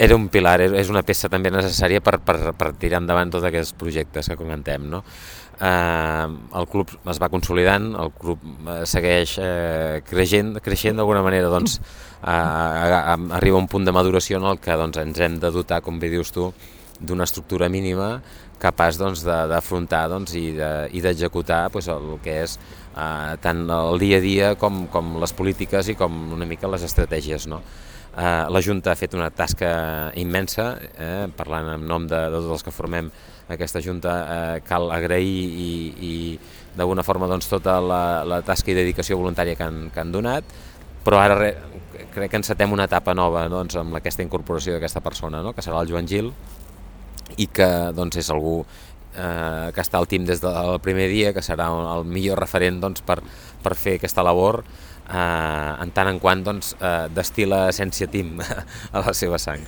era un pilar, és una peça també necessària per tirar endavant tots aquests projectes que comentem, no? El club es va consolidant, el club segueix creixent d'alguna manera, doncs arriba a un punt de maduració en el que doncs, ens hem de dotar, com bé dius tu, d'una estructura mínima capaç doncs, d'afrontar doncs, i d'executar doncs, el que és tant el dia a dia com les polítiques i com una mica les estratègies, no? La Junta ha fet una tasca immensa, parlant en nom de tots els que formem aquesta Junta, cal agrair i d'alguna forma doncs, tota la tasca i dedicació voluntària que han donat, però ara crec que encetem una etapa nova doncs, amb aquesta incorporació d'aquesta persona, no? Que serà el Joan Gil, i que doncs, és algú que està al team des del primer dia, que serà el millor referent doncs, per fer aquesta labor, en tant en quant doncs, destila essència team a la seva sang.